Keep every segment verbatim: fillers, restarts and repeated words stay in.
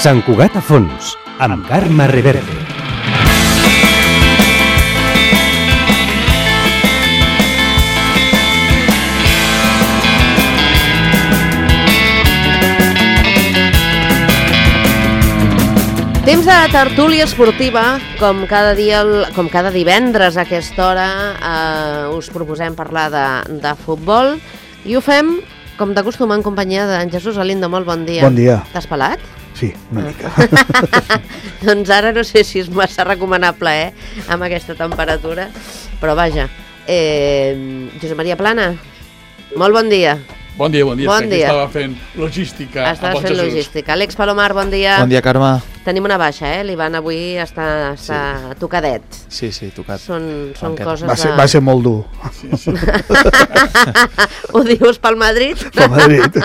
Sant Cugat a fons, amb Carme Reverte. Temps de tertúlia esportiva, com cada dia, com cada divendres a aquesta hora eh, us proposem parlar de, de futbol i ho fem, com d'acostum, en companyia d'en Jesús Alindo. Molt bon dia. Bon dia. T'has pelat? Sí, una mica. Doncs ara no sé si és massa recomanable, eh, amb aquesta temperatura, però vaja. Eh, Josep Maria Plana, molt bon dia. Bon dia, bon dia. Bon dia. Estava fent logística. Estaves fent logística. Àlex Palomar, bon dia. Bon dia, Carme. Tenim una baixa, eh? L'Ivan avui està, està sí. tocadet. Sí, sí, tocat. Són, són coses va ser, de... Va ser molt dur. Sí, sí. Ho dius pel Madrid? Pel Madrid.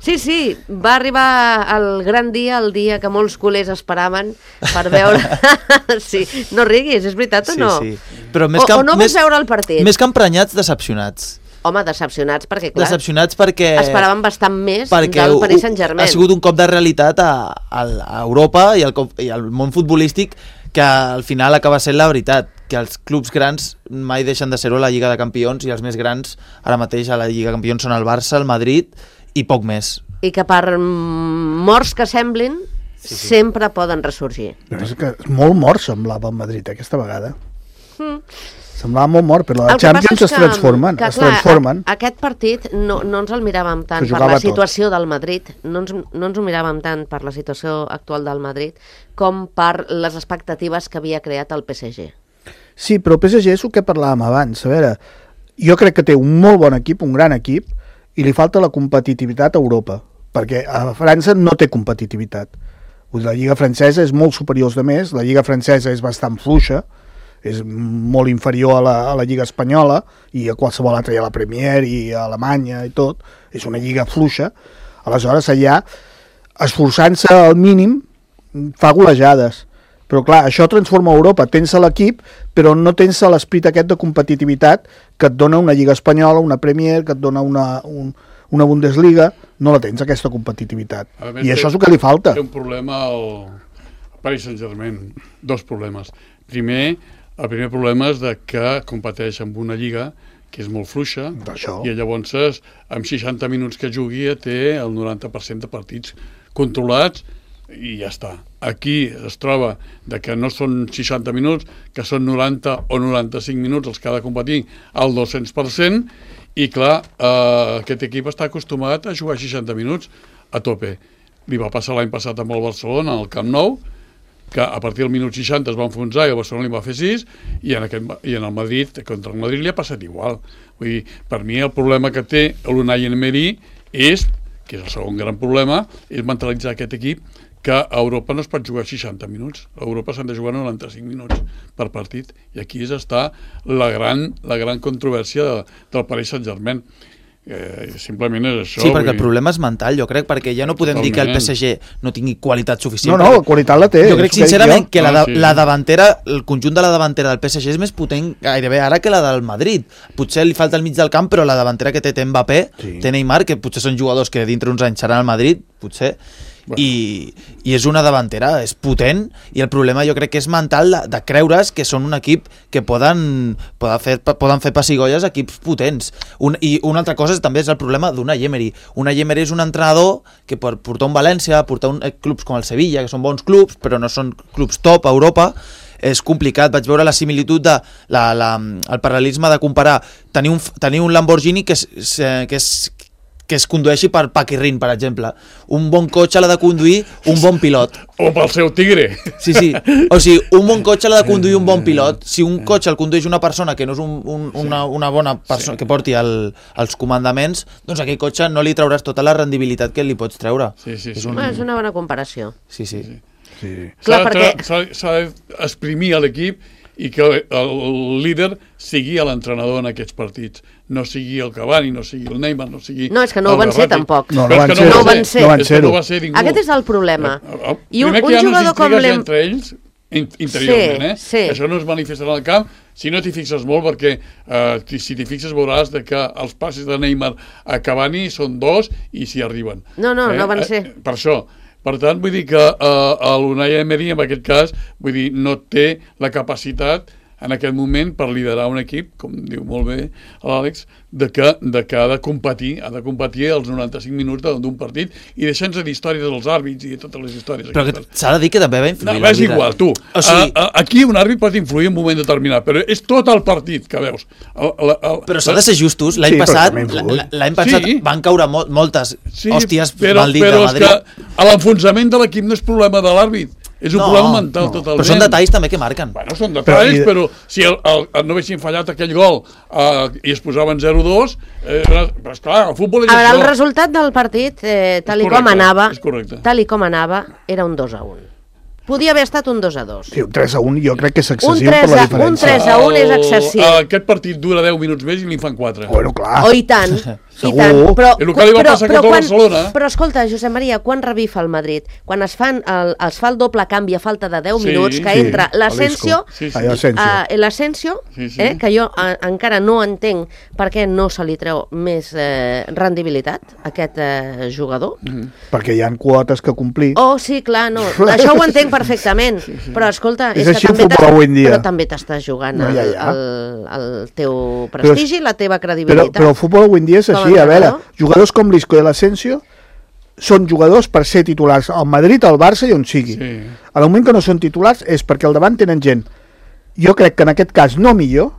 Sí, sí, va arribar el gran dia, el dia que molts culers esperaven per veure... Sí, no riguis, és veritat o no? Sí, sí. Però més o, que, o no més, vas veure el partit? Més que emprenyats, decepcionats. Home, decepcionats perquè, clar, decepcionats perquè... esperaven bastant més perquè del Paris Saint-Germain. Ha sigut un cop de realitat a, a, a Europa i al, i al món futbolístic que al final acaba sent la veritat, que els clubs grans mai deixen de ser-ho a la Lliga de Campions i els més grans ara mateix a la Lliga de Campions són el Barça, el Madrid i poc més. I que per morts que semblin, sí, sí. sempre poden ressorgir. És que molt mort semblava el Madrid aquesta vegada. Mm. Semblava molt mort, però la Champions es transformen. Que, es clar, transformen. A, aquest partit no, no ens el miràvem tant per la situació tot. del Madrid, no ens, no ens ho miràvem tant per la situació actual del Madrid com per les expectatives que havia creat el P S G. Sí, però el P S G és el que parlàvem abans. A veure, jo crec que té un molt bon equip, un gran equip, i li falta la competitivitat a Europa, perquè a França no té competitivitat. La Lliga francesa és molt superior als altres, la Lliga francesa és bastant fluixa, és molt inferior a la, a la Lliga espanyola i a qualsevol altra, i a la Premier i a Alemanya i tot, és una lliga fluixa. Aleshores allà, esforçant-se al mínim, fa golejades. Però clar, això transforma Europa, tens l'equip, però no tens l'esperit aquest de competitivitat que et dona una Lliga espanyola, una Premier, que et dona una, un, una Bundesliga, no la tens, aquesta competitivitat. Més, I això és el que li falta. Té un problema al Paris Saint-Germain, dos problemes. Primer, el primer problema és de que competeix amb una lliga que és molt fluixa i llavors amb seixanta minuts que jugui té el noranta per cent de partits controlats i ja està. Aquí es troba de que no són seixanta minuts, que són noranta o noranta-cinc minuts els que ha de competir al dos-cents per cent i clar, eh, aquest equip està acostumat a jugar seixanta minuts a tope. Li va passar l'any passat amb el Barcelona al Camp Nou, que a partir del minut seixanta es va enfonsar i el Barcelona li va fer sis i en, aquest, i en el Madrid, contra el Madrid li ha passat igual. Vull dir, per mi el problema que té l'Unai Emery és, que és el segon gran problema, és mentalitzar aquest equip que a Europa no es pot jugar seixanta minuts, a Europa s'han de jugar noranta-cinc minuts per partit i aquí és està la gran, la gran controvèrsia de, del Paris Saint-Germain. Eh, simplement és això. Sí, perquè el problema és mental, jo crec, perquè ja no podem Totalment. dir que el P S G no tingui qualitat suficient. No, no, la qualitat la té. Jo crec sincerament que la, de, ah, sí. la davantera, el conjunt de la davantera del P S G és més potent gairebé ara que la del Madrid. Potser li falta el mig del camp, però la davantera que té, té Mbappé, sí. té Neymar, que potser són jugadors que dintre uns anys seran al Madrid, potser, bueno. I, i és una davantera, és potent, i el problema jo crec que és mental de, de creure's que són un equip que poden, poden, fer, poden fer pessigolles a equips potents. Un, I una altra cosa és, també és el problema d'Unai Emery. Unai Emery és un entrenador que per portar un València, portar un, eh, clubs com el Sevilla, que són bons clubs, però no són clubs top a Europa, és complicat. Vaig veure la similitud de la, la, el paral·lelisme de comparar tenir un, tenir un Lamborghini que és, que és que es condueixi per Paquirrin, per exemple. Un bon cotxe l'ha de conduir un bon pilot. O pel seu tigre. Sí, sí. O sigui, un bon cotxe l'ha de conduir un bon pilot. Si un cotxe el condueix una persona que no és un, un, una, una bona persona, sí. que porti el, els comandaments, doncs aquell cotxe no li trauràs tota la rendibilitat que li pots treure. Sí, sí, sí. És, un... és una bona comparació. Sí, sí. sí. sí. Clar, perquè... S'ha d'exprimir a l'equip i que el líder sigui l'entrenador en aquests partits, no sigui el Cavani, no sigui el Neymar, no sigui... No, és que no ho van ser tampoc. No, no, van ser, no, van ser. no van ser. No va ser ningú. Aquest és el problema. I un, un jugador com l'Em... entre ells, interiorment, sí, eh? Sí. Això no es manifestarà al camp si no t'hi fixes molt, perquè eh, si t'hi fixes veuràs de que els passes de Neymar a Cavani són dos i s'hi arriben. No, no, eh? no van ser. Eh, per això, Per tant, vull dir que eh, l'Unai Emery, en aquest cas, vull dir, no té la capacitat en aquest moment per liderar un equip, com diu molt bé l'Àlex, de que, de que ha de competir, ha de competir els noranta-cinc minuts d'un partit i deixar-nos dir històries dels àrbits i totes les històries. Però s'ha de dir que també va influir. No, és igual, tu. O sigui... a, a, aquí un àrbit pot influir en un moment determinat, però és tot el partit que veus. El, el, el, però s'ha de ser justos. L'any sí, passat, l'any passat sí. van caure mol, moltes sí, hòsties però, mal dit però de Madrid. Però és que l'enfonsament de l'equip no és problema de l'àrbit. És un no, problema mental no. totalment. Però són detalls també que marquen. Bueno, són detalls, però, però si el, el, el no haguessin fallat aquell gol uh, i es posaven zero dos, eh, però esclar, el futbol és a veure, això. el resultat del partit, eh, tal i com anava, tal i com anava, era un dos a un. Podia haver estat un dos a dos. Sí, un tres a un jo crec que és excessiu per la diferència. Un tres a un és excessiu. El, aquest partit dura deu minuts més i li fan quatre. Bueno, clar. Oh, i tant. I tant. Però, el que li va però, passar però, a quan, Barcelona. Però escolta, Josep Maria, quan revifa el Madrid? Quan es, fan el, es fa el doble canvi a falta de deu sí, minuts, que sí, entra l'Asensio, sí, sí. uh, l'Asensio, sí, sí. eh, que jo uh, encara no entenc per què no se li treu més eh, rendibilitat a aquest eh, jugador. Mm. Perquè hi ha quotes que complir. Oh, sí, clar, no. Això ho entenc perfectament. Sí, sí. Però escolta, és, és que també però també t'estàs jugant no, ja, ja. El, el, el teu prestigi, però, la teva credibilitat. Però, però el futbol avui en dia és així, a veure, jugadors com l'Isco i l'Asensio són jugadors per ser titulars al Madrid, al Barça i on sigui. Sí. Al moment que no són titulars és perquè al davant tenen gent, jo crec que en aquest cas no millor,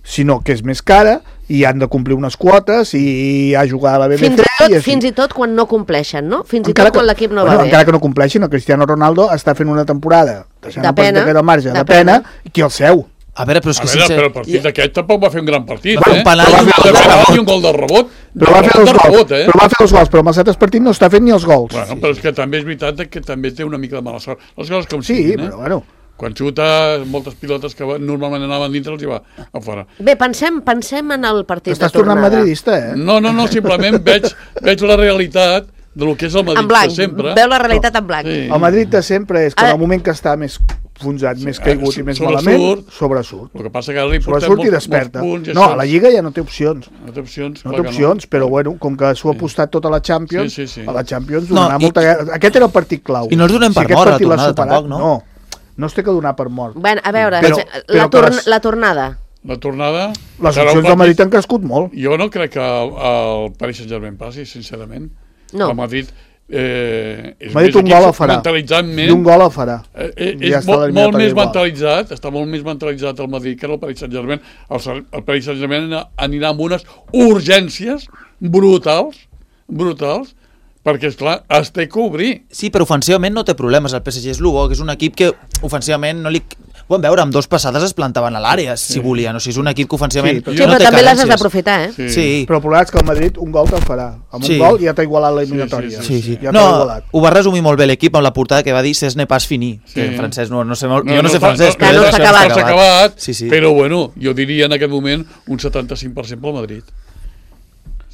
sinó que és més cara i han de complir unes quotes i a jugar a la B B C. Fins i tot, i fins i tot quan no compleixen, no? Fins encara i tot quan l'equip no bueno, va bé. Encara que no compleixin, el Cristiano Ronaldo està fent una temporada deixant de pena, el marge, de, de pena, i qui el seu. A veure, però és que a veure, sense... però el partit d'aquest tampoc va fer un gran partit, va eh? Un penal va i un gol de rebot. I un gol de rebot. Però va fer els gols, rebot, eh? però va fer els gols, però amb els altres partits no està fent ni els gols. Bueno, però és que també és veritat que també té una mica de mala sort. Les coses com sí, siguin, però bueno... Quan xuta, moltes pilotes que normalment anaven dintre els hi va a fora. Bé, pensem, pensem en el partit Estàs de tornada. tornant madridista, eh? No, no, no, simplement veig, veig la realitat del que és el Madrid de sempre. Veu la realitat en blanc. Sí. El Madrid de sempre és que en el moment que està més fonzat, sí, més caigut i més malament, sobresurt. El que passa que ara li portem sobresurt i molts, desperta. molts punts. No, a la Lliga ja no té opcions. No té opcions, no té opcions, no. Però bueno, com que s'ho ha apostat tota la Champions, sí, sí, sí. a la Champions no, donarà i, molta... Aquest era el partit clau. I no els donem per si mort la tornada tampoc, no? No, no es té que donar per mort. Bueno, a veure, però, la, però torn la tornada. La tornada... Les opcions del Madrid han crescut molt. Jo no crec que el, el Paris Saint-Germain passi, sincerament. No. El Madrid... Eh, és Madrid un gol el farà. Mentalitzant-ment, I un gol el farà. Eh, eh, és ja molt, molt més mentalitzat, està molt més mentalitzat el Madrid que el Paris Saint-Germain. El, el Paris Saint-Germain anirà amb unes urgències brutals, brutals, perquè, esclar, es té que obrir. Sí, però ofensivament no té problemes. El P S G és el bo, que és un equip que ofensivament no li... Ho vam veure, amb dos passades es plantaven a l'àrea, sí. si volien. O sigui, és un equip que ofensivament... Sí, però, no sí, però també les has d'aprofitar, eh? Sí. sí. Però el problema és que el Madrid un gol te'l farà. Amb sí. un gol ja t'ha igualat l'eliminatòria. Sí, sí, sí. sí. Ja no, igualat. ho va resumir molt bé l'equip amb la portada que va dir «C'est n'est pas fini», sí. que en francès no, no sé molt... No, jo no, no sé francès, no, no, no s'ha acabat. S'ha acabat, sí, sí. però bueno, jo diria en aquest moment un setanta-cinc per cent pel Madrid.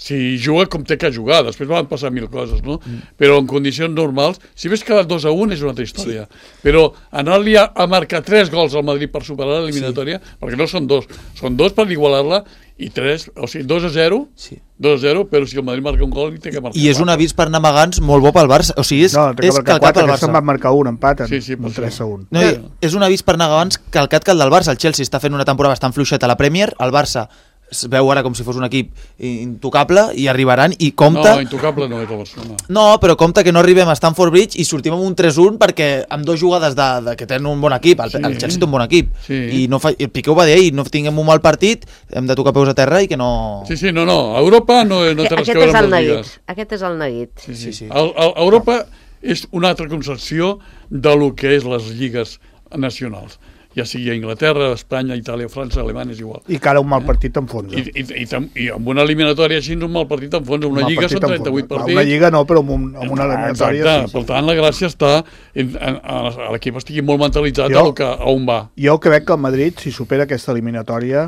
Si juga com té que jugar, després van passar mil coses, no? Mm. Però en condicions normals, si hagués quedat dos a un és una altra història. Sí. Però anar-li a, a marcar tres gols al Madrid per superar l'eliminatòria, sí. perquè no són dos, són dos per igualar-la i tres, o sigui, dos a zero, sí. dos a zero, però si el Madrid marca un gol, té que marcar. I és un avís per namagants molt bo pel Barça, o sigui, és, no, és calcat pel Barça. No, van marcar un, empaten, sí, sí, un tres a un. No, és un avís per namagants calcat que el del Barça. El Chelsea està fent una temporada bastant fluixeta a la Premier, el Barça es veu ara com si fos un equip intocable i arribaran i compta... No, intocable no és el Barcelona. No, però compta que no arribem a Stamford Bridge i sortim amb un tres a un perquè amb dues jugades de, de que tenen un bon equip, el, sí. el Chelsea té un bon equip, sí. i no fa, el Piqué ho va dir, i no tinguem un mal partit, hem de tocar peus a terra i que no... Sí, sí, no, no, a Europa no, no té res que veure amb les lligues. Aquest és el neguit. Sí, sí. sí, sí. A, a Europa és una altra concepció de lo que és les lligues nacionals. Ja sigui a Inglaterra, Espanya, Itàlia, França, Alemanya, és igual. I que ara un mal partit t'enfonsa. I, i, i, i amb una eliminatòria així un mal partit t'enfonsa. Una lliga són trenta-vuit partits. Una lliga no, però amb, un, amb una eliminatòria... Exacte, sí, sí. Per tant, la gràcia està en, en, en, en l'equip estigui molt mentalitzat jo, a, que, a on va. Jo crec que el Madrid, si supera aquesta eliminatòria...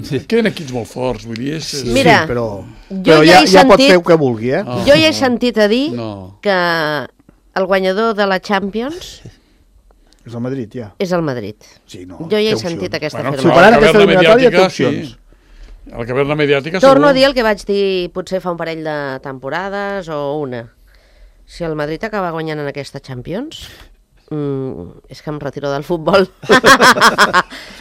Sí. Queden equips molt forts, vull dir... És, és... Mira, sí, però, jo però ja, ja, he ja sentit, pot fer el que vulgui, eh? Oh, jo ja he sentit a dir no. que el guanyador de la Champions... És el Madrid, ja. És el Madrid. Sí, no, jo ja he sentit aquesta bueno, afirmació. Superant aquesta eliminatòria té opcions. Sí. El que ve la mediàtica... Torno segur. a dir el que vaig dir potser fa un parell de temporades o una. si el Madrid acaba guanyant en aquesta Champions, mm, és que em retiro del futbol.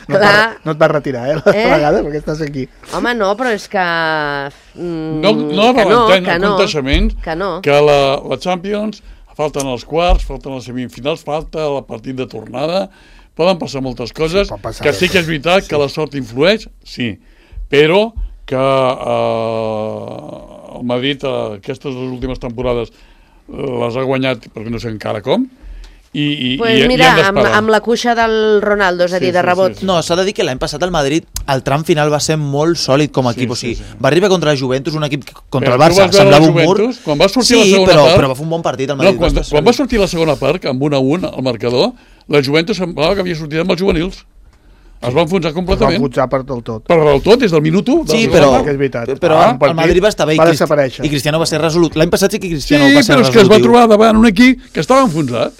No, Clar. no et vas retirar, eh, la eh? vegada, perquè estàs aquí. Home, no, però és que... Mm, no no que no, que que no, que, no. que la, la Champions, falten els quarts, falten les semifinals, falta el partit de tornada, poden passar moltes coses, sí, passar que sí que és veritat sí. que la sort influeix, sí, però que eh, el Madrid eh, aquestes dues últimes temporades les ha guanyat, perquè no sé encara com, i, i, pues i, mira, i amb, amb la cuixa del Ronaldo, és a dir, sí, de rebot. Sí, sí, sí. No, s'ha de dir que l'any passat el Madrid, el tram final va ser molt sòlid com a equip, sí, o sigui, sí, sí. va arribar contra la Juventus, un equip contra però el Barça, semblava un mur. Quan va sortir sí, la segona però, part... però va fer un bon partit el Madrid. No, quan, va quan va sortir la segona part, amb un a un al marcador, la Juventus semblava que havia sortit amb els juvenils. Es va enfonsar completament. Es va enfonsar per del tot. Per del tot, des del minut u. Sí, però, però ah, el Madrid va estar bé i, va Crist i Cristiano va ser resolut. L'any passat sí que Cristiano sí, va ser resolutiu. Sí, però és que es va trobar davant un equip que estava enfonsat.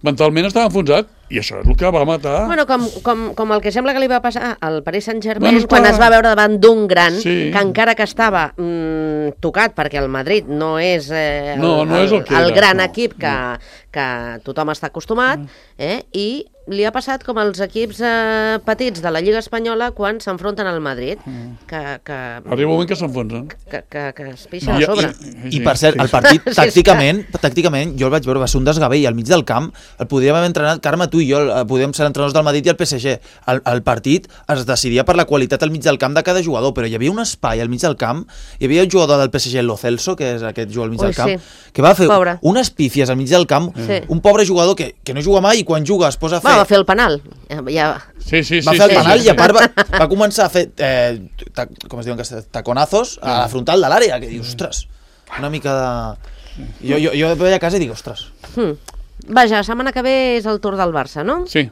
Mentalment estava enfonsat. I això és el que va matar. Bueno, com, com, com el que sembla que li va passar al Paris Saint-Germain, bueno, quan es va veure davant d'un gran, sí. que encara que estava mm, tocat, perquè el Madrid no és, eh, el, no, no és el, el, el gran no, equip que, no. que tothom està acostumat, eh, i li ha passat com els equips eh, petits de la Lliga Espanyola quan s'enfronten al Madrid, que... que arriba un moment que s'enfonsen. Que, que, que es pixen no. a sobre. I, i, I per cert, el partit, sí, tàcticament, tàcticament, jo el vaig veure, va ser un desgavell al mig del camp, el podríem haver entrenat, Carme, tu i jo, podíem ser entrenadors del Madrid i el P S G. El, el partit es decidia per la qualitat al mig del camp de cada jugador, però hi havia un espai al mig del camp, hi havia un jugador del P S G, Lo Celso, que és aquest jugador al mig Ui, del camp, sí. que va fer pobre. unes pífies al mig del camp, sí. un pobre jugador que, que no juga mai i quan juga es posa a fer... Va, va fer el penal. Ja... Sí, sí, sí, va fer el sí, penal sí, i a part va, va començar a fer eh, ta, com es diuen, taconazos a la frontal de l'àrea, que dius, ostres, una mica de... Jo, jo, jo veia a casa i dic, ostres. Hmm. Vaja, la setmana que ve és el Tour del Barça, no? Sí,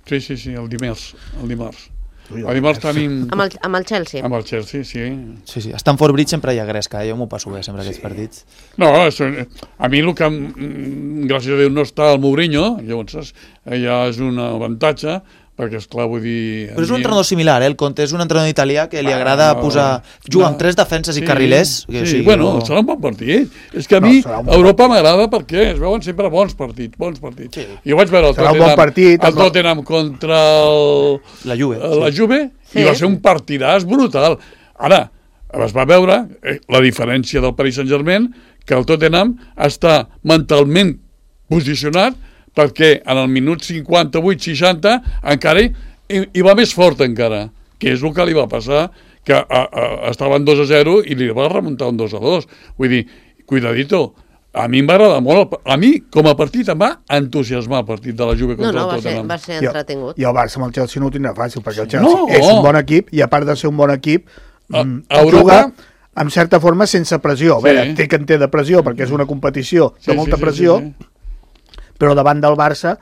sí, sí, sí el dimarts. El dimarts. El dimarts tenim... Amb el, amb el Chelsea. Amb el Chelsea, sí. Sí, sí. A Stamford Bridge sempre hi ha gresca, jo m'ho passo bé sempre, sí. aquests partits. No, a mi el que, gràcies a Déu, no està el Mourinho, llavors ja és un avantatge, perquè, esclar, vull dir... Però és un entrenador similar, eh? El Conte és un entrenador italià que li agrada ah, posar... Juga no, amb tres defenses sí, i carrilers. Que, sí, sí, bueno, no... serà un bon partit. És que a mi no, Europa m'agrada perquè es veuen sempre bons partits, bons partits. Sí. Jo vaig veure el serà Tottenham, bon partit, el Tottenham contra el... la Juve, la sí. Juve sí. i va ser un partidàs brutal. Ara, es va veure eh, la diferència del Paris Saint-Germain, que el Tottenham està mentalment posicionat perquè en el minut cinquanta-vuit seixanta encara hi, hi va més fort encara, que és el que li va passar, que a, a, estaven dos a zero i li va remuntar un dos a dos. Vull dir, cuidadito, a mi em va agradar molt, a mi com a partit em va entusiasmar el partit de la Juve contra no, no, el No, Tottenham. no, va ser entretingut. I el Barça amb el Chelsea no ho tindrà fàcil, perquè el Chelsea no, és un bon equip i a part de ser un bon equip, a, a Europa... juga en certa forma sense pressió. A veure, sí. té que en té de pressió perquè és una competició de sí, molta sí, sí, pressió, sí, sí. però davant del Barça,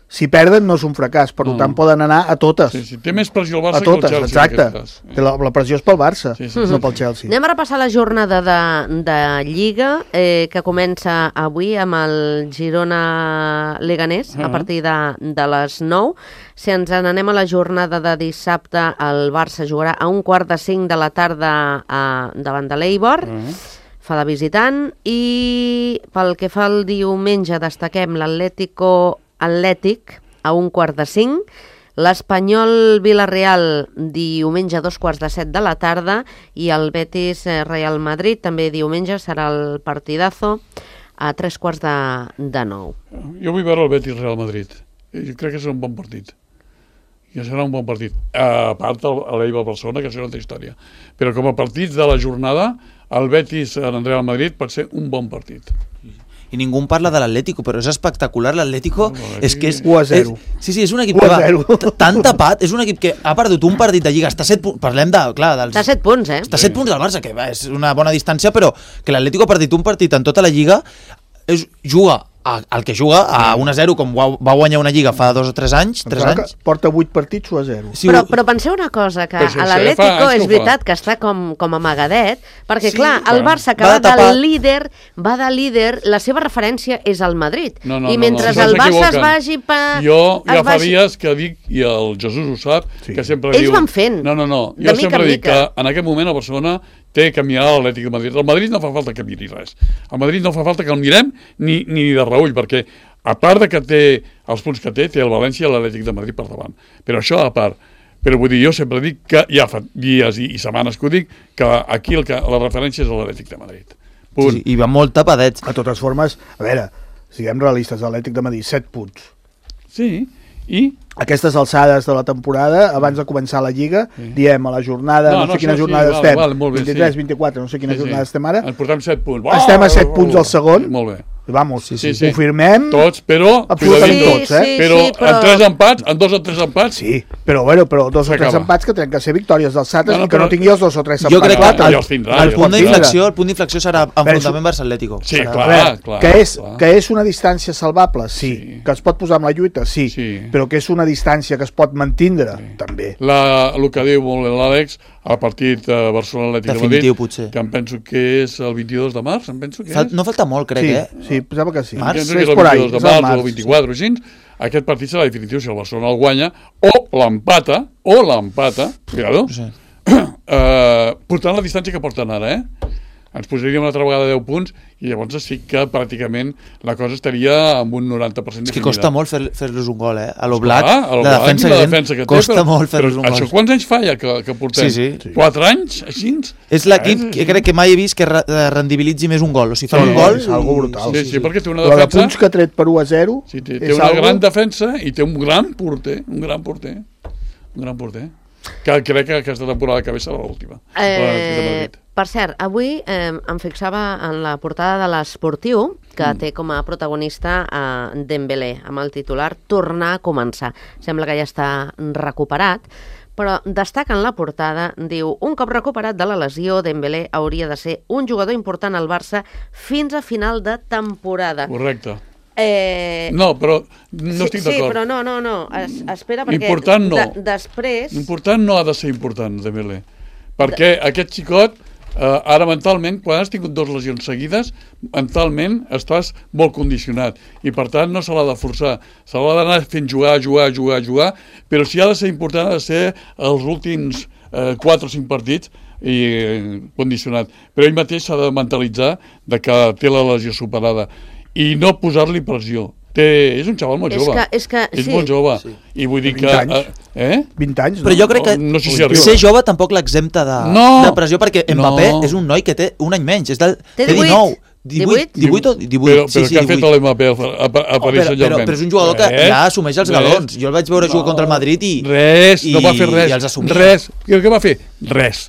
si perden no és un fracàs, per no. tant poden anar a totes. Sí, sí. Té més pressió el Barça a totes, que el Chelsea. Exacte. La, la pressió és pel Barça, sí, sí, no sí, pel Chelsea. Anem a repassar la jornada de, de Lliga, eh, que comença avui amb el Girona-Leganés, uh -huh. a partir de, de les nou. Si ens n'anem a la jornada de dissabte, el Barça jugarà a un quart de cinc de la tarda a, davant de l'Eibar. Uh -huh. Fa de visitant, i pel que fa al diumenge destaquem l'Atlético Atlètic a un quart de cinc, l'Espanyol Villarreal diumenge a dos quarts de set de la tarda i el Betis Real Madrid també diumenge serà el partidazo a tres quarts de, de nou. Jo vull veure el Betis Real Madrid, jo crec que serà un bon partit. Ja serà un bon partit. A part l'Eibar Barcelona, que serà una altra història. Però com a partits de la jornada, el Betis en Real Madrid pot ser un bon partit. I ningú parla de l'Atlético, però és espectacular. L'Atlético no, és que és... u a zero. És, sí, sí, és un equip que va tan tapat, és un equip que ha perdut un partit de Lliga, està set punts, parlem de... Clar, dels, està set punts, eh? Està set punts del Barça, que va, és una bona distància, però que l'Atlético ha perdut un partit en tota la Lliga, és, juga el que juga a un a zero, com va guanyar una Lliga fa dos o tres anys, tres anys. Porta vuit partits u a zero. Sí, però, però penseu una cosa, que a l'Atlético és veritat que està com, com amagadet, perquè sí, clar, el Barça que va, va de líder, va de líder, la seva referència és el Madrid. No, no, I mentre no, no, el Barça es vagi per... Jo ja fa dies que dic, i el Jesús ho sap, sí. que sempre Ells diu... van fent. No, no, no, jo sempre dic que en aquest moment a Barcelona té que mirar l'Atlètic de Madrid. Al Madrid no fa falta que miri res. Al Madrid no fa falta que el mirem ni, ni de reull, perquè a part de que té els punts que té, té el València i l'Atlètic de Madrid per davant. Però això a part. Però vull dir, jo sempre dic que ja fa dies i, i setmanes que ho dic, que aquí el que, la referència és l'Atlètic de Madrid. Punt. Sí, i va molt tapadets. De totes formes, a veure, siguem realistes, l'Atlètic de Madrid, set punts. Sí, i... Aquestes alçades de la temporada, abans de començar la Lliga, sí. diem a la jornada, no, no, no sé quina sí, jornada sí, estem, vale, vale, bé, vint-i-tres, sí. vint-i-quatre, no sé quina sí, jornada sí. estem ara. Ens portem set punts. Estem a set punts al segon. Molt bé. Vamos, sí, sí, sí, ho firmem tots, però absolutament sí, tots, eh? Sí, però, sí, però en tres empats, en dos o tres empats, sí, però bueno, però dos o tres empats que tenen que ser victòries dels Sates no, no, i que però... no tingui els dos o tres empats. Jo crec que el, tindrà, el, punt d'inflexió, el punt d'inflexió serà enfrontament Barça-Atlético. Sí, serà... clar, veure, clar, que és, clar. Que és una distància salvable, sí. sí. Que es pot posar amb la lluita, sí. sí. Però que és una distància que es pot mantindre, sí. també. La, el que diu molt l'Àlex, el partit uh, Barcelona-Atlètic de Madrid, potser. que em penso que és el vint-i-dos de març, em penso que Fal, és. no falta molt, crec, sí, eh? Sí, pensava que sí. Març? Penso que és el vint-i-dos de març o el vint-i-quatre o així. Aquest partit serà definitiu si el Barcelona el guanya o l'empata, o l'empata, cuidado, sí. uh, portant la distància que porten ara, eh? Ens posaríem una altra vegada deu punts i llavors sí que pràcticament la cosa estaria amb un noranta per cent definida. És que definida. costa molt fer-los fer un gol, eh? A l'Oblak, ah, la defensa, la defensa que té, costa però, molt fer-los un gol. Això quants anys fa ja que, que portem? Sí, sí. Quatre anys, així? És l'equip que crec que mai he vist que rendibilitzi més un gol. O sigui, fa sí, un gol... És algo brutal. Sí, sí, sí, perquè té una defensa... defensa... Però de punts que ha tret per u a zero... Sí, té, té una algo... gran defensa i té un gran porter, un gran porter, un gran porter, que crec que aquesta temporada que ve serà l'última. Eh, per cert, avui eh, em fixava en la portada de l'Esportiu, que mm. té com a protagonista eh, Dembélé, amb el titular Tornar a començar. Sembla que ja està recuperat, però destaca en la portada, diu, un cop recuperat de la lesió, Dembélé hauria de ser un jugador important al Barça fins a final de temporada. Correcte. Eh... No, però no sí, estic d'acord. Sí, però no, no, no. Es, espera, perquè... Important no. De, després... Important no ha de ser important, Dembélé. Perquè de... aquest xicot, eh, ara mentalment, quan has tingut dues lesions seguides, mentalment estàs molt condicionat. I per tant no se l'ha de forçar. Se l'ha d'anar fent jugar, jugar, jugar, jugar, però si ha de ser important ha de ser els últims eh, quatre o cinc partits i eh, condicionat. Però ell mateix s'ha de mentalitzar de que té la lesió superada. I no posar-li pressió. Té, és un xaval molt és jove. Que, és que, és sí. molt jove. Sí. I vull dir que... anys. Eh? vint anys, no? Però jo crec que no, no sé si arriba. ser jove tampoc l'exempta de, no. de pressió, perquè Mbappé no. és un noi que té un any menys. És del, té dinou. divuit, divuit o divuit? Però, però sí, sí, què ha fet l'Mbappé a, a, a Paris Saint-Germain? Però, però és un jugador que res, ja assumeix els galons. Jo el vaig veure no. jugar contra el Madrid i... Res, i, no va fer res. I els assumia. Res. I què va fer? Res.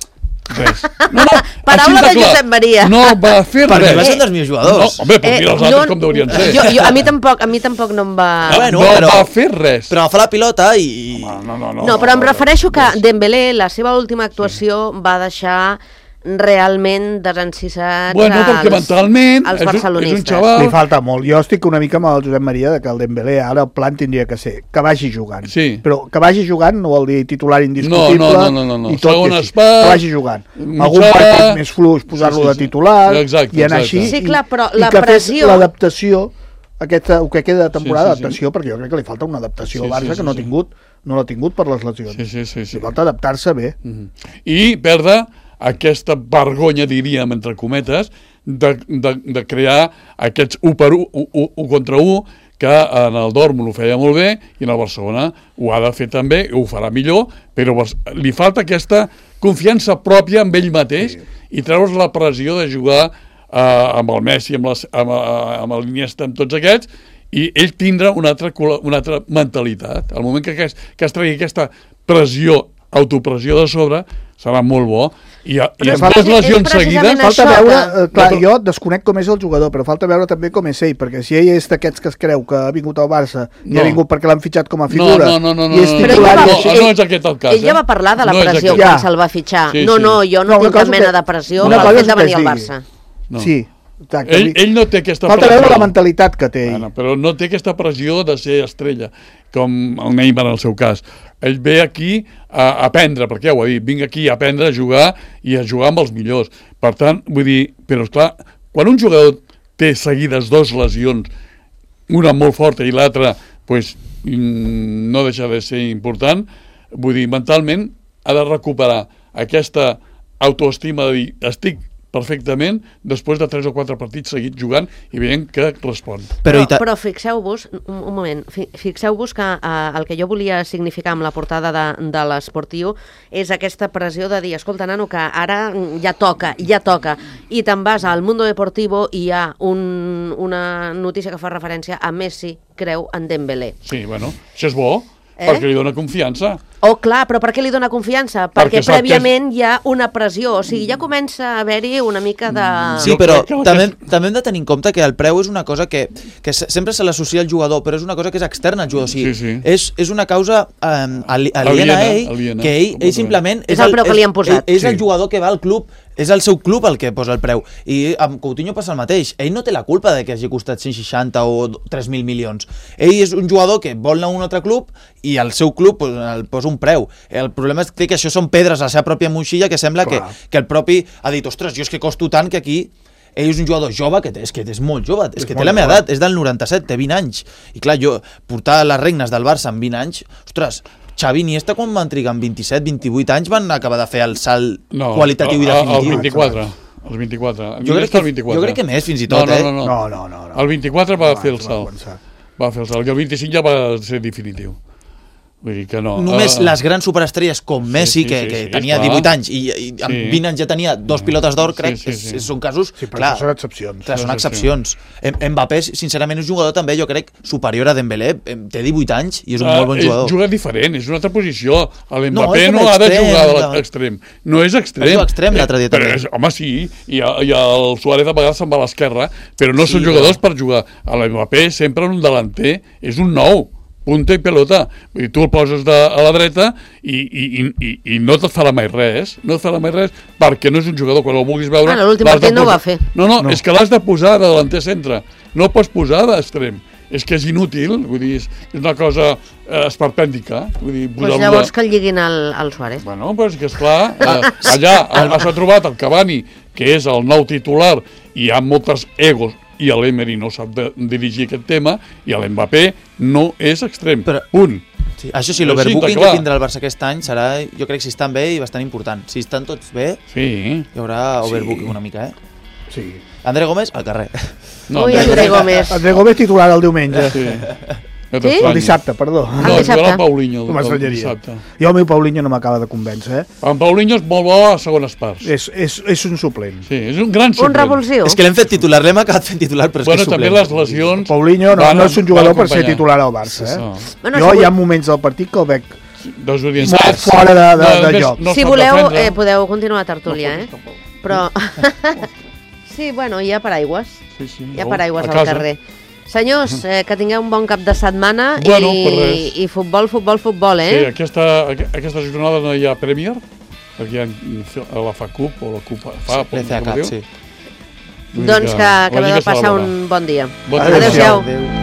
Res. No, no, paraula de Josep Maria. No va fer res. Perquè va ser un dels millors jugadors. No, home, però mira els altres no, com deurien ser. Jo, jo, a, mi tampoc, a mi tampoc no em va... No, bueno, no però, va fer res. Però fa la pilota i... No, no, no, no, no però em no, refereixo que res. Dembélé, la seva última actuació, sí. va deixar realment desencissats bueno, perquè als, mentalment als és un, barcelonistes. és un xaval... Li falta molt. Jo estic una mica amb el Josep Maria de que el Dembélé ara el plan tindria que ser que vagi jugant. Sí. Però que vagi jugant no vol dir titular indiscutible no, no, no, no, no. i tot Segon i així. espart, que vagi jugant. mitjà... Algun partit més fluix, posar-lo sí, sí, sí. de titular exacte, i anar exacte. així. Sí, clar, però i, la i que pressió... l'adaptació, aquesta, el que queda de temporada, sí, sí, sí. adaptació, perquè jo crec que li falta una adaptació Sí, al Barça sí, sí, que no ha sí. tingut, no l'ha tingut per les lesions. Sí, sí, sí, sí. Li falta adaptar-se bé. Mm-hmm. I perdre aquesta vergonya, diríem, entre cometes, de, de, de crear aquests u per u, u contra u, que en el Dortmund ho feia molt bé i en el Barcelona ho ha de fer també, ho farà millor, però li falta aquesta confiança pròpia amb ell mateix sí. i treure's la pressió de jugar eh, amb el Messi, amb, les, amb, amb l'Iniesta, amb tots aquests, i ell tindrà una altra, una altra mentalitat. Al moment que, es, que es tregui aquesta pressió, autopressió de sobre, serà molt bo. I, i amb dues lesions seguides... Falta veure, que... eh, clar, jo desconec com és el jugador, però falta veure també com és ell, perquè si ell és d'aquests que es creu que ha vingut al Barça i no. ha vingut perquè l'han fitxat com a figura... No, no, no, no, i és no, però titular, ell no, va, no, ell, no és aquest el cas. Ell ja va parlar de la no pressió quan ja. se'l va fitxar. Sí, no, sí. no, jo no, no tinc cap que... mena de pressió una pel cosa fet de que venir al digui. Barça. No. Sí, exacte. Ell, ell no té aquesta falta pressió. veure la mentalitat que té ell. Bueno, però no té aquesta pressió de ser estrella, com el Neymar en el seu cas. Ell ve aquí a aprendre, perquè ja ho ha dit, vinc aquí a aprendre a jugar i a jugar amb els millors. Per tant, vull dir, però esclar, quan un jugador té seguides dues lesions, una molt forta i l'altra pues, no deixa de ser important, vull dir, mentalment ha de recuperar aquesta autoestima de dir, estic perfectament després de tres o quatre partits seguits jugant i veient que respon. Però, però, però fixeu-vos, un, un moment, fixeu-vos que eh, el que jo volia significar amb la portada de, de l'Esportiu és aquesta pressió de dir, escolta, nano, que ara ja toca, ja toca, i te'n vas al Mundo Deportivo i hi ha un, una notícia que fa referència a Messi creu en Dembélé. Sí, bueno, això és bo, eh? Perquè li dona confiança. Oh, clar, però per què li dona confiança? Perquè, perquè prèviament és... hi ha una pressió, o sigui, ja comença a haver-hi una mica de... Sí, però també, també hem de tenir en compte que el preu és una cosa que, que sempre se l'associa al jugador, però és una cosa que és externa al jugador, o sigui, sí, sí. És, és una causa um, aliena a ell, aliena, que ell, ell simplement... És el preu que li han posat. És, és el jugador que va al club, és el seu club el que posa el preu, i amb Coutinho passa el mateix, ell no té la culpa de que hagi costat cent seixanta o tres mil milions, ell és un jugador que vol anar a un altre club i el seu club pues, el posa un preu. El problema és que això són pedres a la seva pròpia moixilla que sembla que, que el propi ha dit, ostres, jo és que costo tant que aquí ell és un jugador jove, que és que és molt jove, és, és que té la meva edat, és del noranta-set, té vint anys, i clar, jo portar les regnes del Barça amb vint anys, ostres, Xavi i Iniesta quan van trigar amb vint-i-set, vint-i-vuit anys van acabar de fer el salt no, qualitatiu i definitiu. El vint-i-quatre. Els vint-i-quatre. Jo crec, que, vint-i-quatre. jo crec que més, fins i tot, no, no, eh? No, no, no. no, no, no. El vint-i-quatre va fer el salt. Va fer el salt. I el vint-i-cinc ja va ser definitiu. Vull dir que no. Només uh, les grans superestrelles com Messi, sí, sí, que, que sí, sí, tenia divuit anys i, i amb sí. vint anys ja tenia dos pilotes d'or, crec, sí, sí, sí. És, són casos... Sí, però clar, són excepcions. Clar, són excepcions. Mbappé, sincerament, és un jugador també, jo crec, superior a Dembélé. Té divuit anys i és un uh, molt bon jugador. Juga diferent, és una altra posició. L'Mbappé no, no ha de jugar a l'extrem. No és extrem. És extrem l'altre dia també. És, home, sí, i, i el Suárez a vegades se'n va a l'esquerra, però no sí, són jugadors però... per jugar. A l'Mbappé sempre un delanter és un nou. Punta i pelota, i tu el poses de, a la dreta i, i, i, i no et farà mai res, no et farà mai res perquè no és un jugador, quan el vulguis veure... Ah, l'últim partit no ho va fer. No, no, no, és que l'has de posar de delanter centre, no el pots posar d'extrem. És que és inútil, vull dir, és una cosa eh, esperpèntica. Vull dir, pues llavors de... que el lliguin al, al Suárez. Bueno, pues que esclar, eh, allà s'ha trobat el Cavani, que és el nou titular, i hi ha moltes egos, i l'Emery no sap de, dirigir aquest tema, i l'Mbappé no és extrem. Però, punt. Sí, això sí, l'overbooking sí, que tindrà el Barça aquest any serà, jo crec que si estan bé i bastant important. Si estan tots bé, sí. Hi haurà overbooking sí. Una mica, eh? Sí. André Gómez, al carrer. No, Ui, André Gómez. André Gómez titular el diumenge. Sí. Sí? El dissabte, perdó. No, jo era el Paulinho. El, el dissabte. Jo el meu Paulinho no m'acaba de convèncer, eh? En Paulinho és molt bo a segones parts. És, és, és un suplent. Sí, és un gran suplent. Un revulsiu. És que l'hem fet titular, l'hem acabat fent titular, però és bueno, que és suplent. També les lesions... Paulinho no, no és un jugador per ser titular al Barça, eh? Sí, bueno, jo si hi ha moments del partit que el veig molt fora de, de, de, de joc. No si voleu, eh, podeu continuar a tertúlia, eh? Però... sí, bueno, hi ha paraigües. Sí, sí. Hi ha paraigües al carrer. Senyors, eh, que tingueu un bon cap de setmana bueno, i, i futbol, futbol, futbol, eh? Sí, aquesta, aquesta jornada no hi ha Premier, perquè hi ha la F A Cup o la Cup F A, sí, com diu. Sí. Doncs que acabeu de passar un bon dia. Bon Adéu-siau. Adéu.